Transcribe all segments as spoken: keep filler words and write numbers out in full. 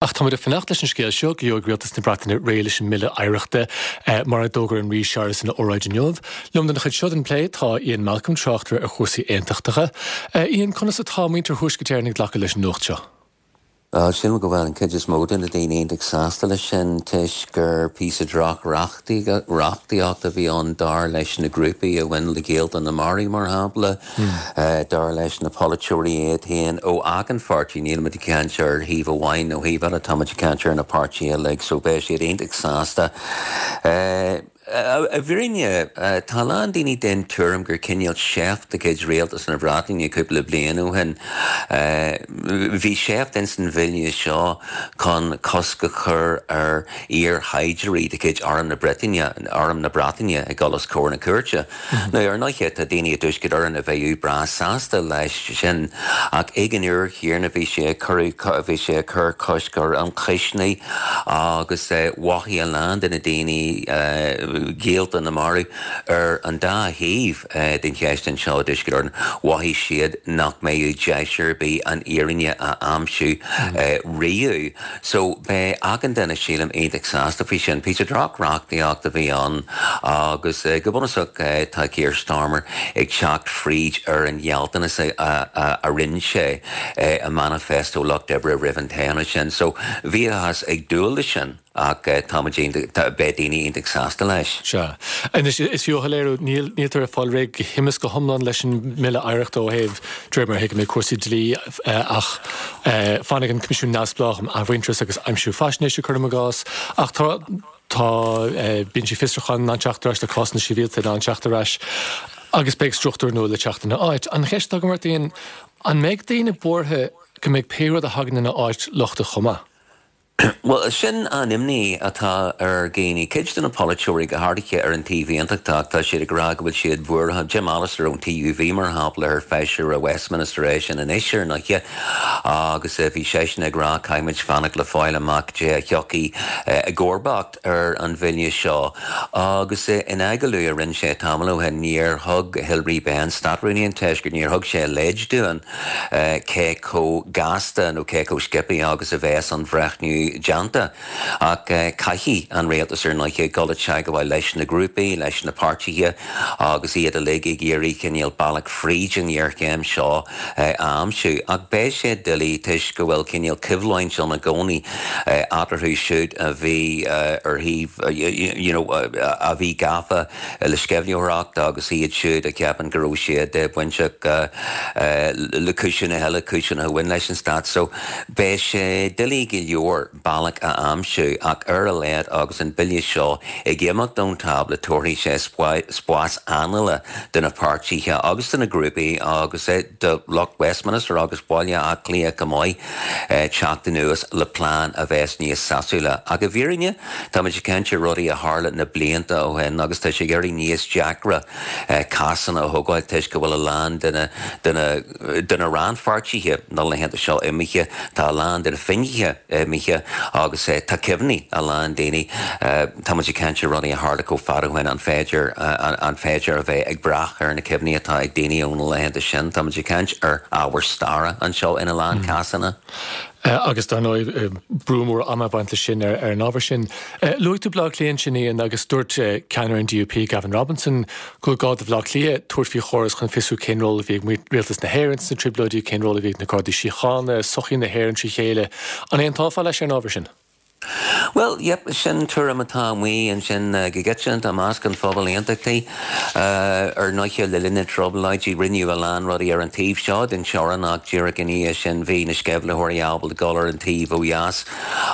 Ach táimid ag fanacht leis an scéal seo go gheobhaidh Rialtas na Breataine réidh leis an mbille oidhreachta mar a d'fhógair an Rí Séarlas ina óráid inniu. Liom don chuid seo den plé tá Ian Malcolm, tráchtaire ar chúrsaí aontachtacha. Ian, conas atá muintir Thuaisceart Éireann ag glacadh leis an nuacht seo? Sílim go bhfuil an chuid is mó de na daoine iontach sásta leis sin toisc gur píosa droch reachtaíocht a bhí ann dar leis na grúpaí a bhain le gaolta na marbh mar shampla, dar leis na polaiteoirí iad féin ó achan pháirtí níl muid ag caint ar thaobh amháin nó thaobh eile tá muid ag caint ar na páirtithe uilig so beidh siad iontach sásta. I bhfírinne tá lán daoine den tuairim gur cineál seift de chuid rialtas na Breataine cúpla bliain ó shin. Bhí seift in san bhille seo chun cosc a chur ar iar-shaighdiúirí de chuid Arm na Breataine Arm na Breataine ag dul os comhair na cúirte. Now ar ndóigh tá daoine i dTuaisceart Éireann a bheadh breá sásta leis sin ach ag an uair chéanna bhí sé cur bhí sé cur cosc ar ionchoisní agus mhothaigh a lán de na daoine gaolta na marbh ar an dá thaobh den cheist anseo i dTuaisceart Éireann mhothaigh siad nach mbeadh deis ar bith an fhírinne a aimsiú riamh. So beidh achan duine sílim iontach sásta faoi sin. Píosa droch-reachtaíocht a bhí ann agus go bunúsach tá Keir Starmer ag teacht fríd ar an ghealltanas a rinne sé i manifesto Lucht Oibre roimh an toghchán sin. So bhíothas ag dúil leis sin ach tá beidh daoine iontach sásta leis. Sea. Anois is fiú a shoiléiriú níl níltear ag fáil réidh go hiomlán go hiomlán leis an mbille oidhreachta ó thaobh de réir mar a thuigim cúrsaí dlí ach fanfaidh an Coimisiún Neamhspleách um Athmhuintearas agus Aimsiú Faisnéise cuirim i gcás ach tá tá binsí fiosrúcháin in ann teacht ar ais le cásanna sibhialta in ann teacht ar ais agus beidh struchtúr nua le teacht ina áit. An cheist agam ort Ian, an mbeidh daoine buartha go mbeidh pé rud a thagann ina áit lochtach chomh maith? Well sin an imní atá ar dhaoine cuid de na polaiteoirí go háirithe ar an taobh aontachtach tá siad ag rá go bhfuil siad buartha Jim Allister ón TUV mar shampla ar feisire Westminster é sin anois ar ndóigh agus bhí seisean ag rá caithfimid fanacht le fáil amach cé a thiocfaidh i gcomharbacht ar an bhille seo agus in agallamh a rinne sé tamall ó shin níor thug Hilary Benn Státrúnaí an Tuaiscirt níor thug sé leid dúinn cé chomh gasta nó cé chomh sciobtha agus a bheas an breithniú déanta ach caithfidh an rialtas ar ndóigh dul i dteagmháil leis na grúpaí leis na páirtithe agus iad uilig ag iarraidh cineál bealach fríd an ghéarchéim seo a aimsiú ach beidh sé doiligh toisc go bhfuil cineál coimhlint ann i gcónaí eatarthu siúd a bhí ar thaobh you know, a bhí gafa le sceimhlitheoireacht agus iad siúd a cheapann go raibh siad bainteach le cúiseanna eile cúiseanna a bhain leis an stát so beidh sé doiligh go leor bealach a aimsiú ach ar a laghad agus an bille seo ag imeacht ón tábla tabharfaidh sé spás anála do na páirtithe agus do na grúpaí agus do lucht Westminster agus Baile Átha Cliath go maith teacht anuas le plean a bheas níos sásúla. Ach i bhfírinne tá muid ag caint ar rudaí a tharla na blianta ó shin agus tá sé ag éirí níos deacra cásanna a thógáil toisc go bhfuil a lán de na de na rannpháirtithe na laethanta seo imithe tá a lán de na finnéithe imithe agus tá cuimhní a lán daoine tá muid ag caint ar rudaí a tharla chomh fada ó shin an féidir an féidir a bheith ag brath ar na cuimhní atá ag daoine ó na laethanta sin tá muid ag caint ar ábhar staire anseo ina lán cásanna. agus dar ndóigh brú mór ama ag baint leis sin ar ar an ábhar sin. Luaigh tú Baile Átha Cliath ansin Ian agus dúirt ceannaire an DUP Gavin Robinson go gá do Bhaile Átha Cliath tabhairt faoi chóras chun fiosrú cén ról a bhí ag rialtas na hÉireann sna trioblóidí cén ról a bhí ag na Gardaí Síochána, sochaí na hÉireann trí chéile. An aontófá leis ar an ábhar sin? Well, yep, sin tuairim atá amuigh ansin go ginearálta i measc an phobal aontachtaigh ar ndóigh le linn na dtrioblóidí rinneadh a lán rudaí ar an taobh seo den teorainn ach díreach ina dhiaidh sin bhí na sceimhlitheoirí ábalta dul ar an taobh ó dheas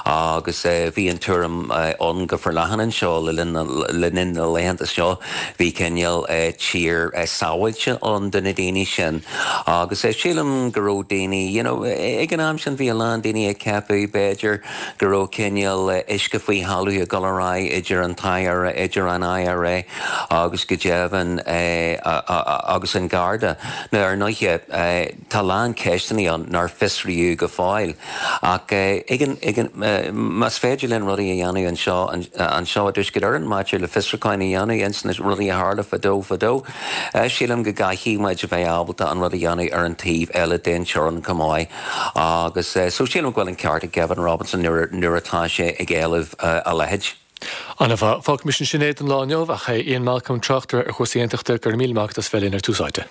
agus bhí an tuairim ann go forleathan anseo le linn le linn na laethanta seo bhí cineál tír sábháilte ann do na daoine sin agus sílim go raibh daoine you know, ag an am sin bhí a lán daoine ag ceapadh b'fhéidir go raibh cineál uisce faoi thalamh ag dul ar aghaidh idir an t-I R A, idir an I R A agus go deimhin agus an Garda. Now ar ndóigh tá lán ceisteanna ann nár fiosraíodh go fóill ach más féidir linn rudaí a dhéanamh anseo anseo i dTuaisceart Éireann maidir le fiosrúcháin a dhéanamh ins na rudaí a tharla fadó fadó. Sílim go gcaithfidh muid a bheith ábalta an rud a dhéanamh ar an taobh eile den teorainn chomh maith agus so sílim go bhfuil an ceart ag Gavin Robinson nuair atá sé ag éileamh a leithéid. An-mhaith, fágfaidh muid sin é don lá inniu ach Ian Malcolm, tráchtaire ar chúrsaí aontachta, go raibh míle maith agat as bheith linn ar Tús Áite.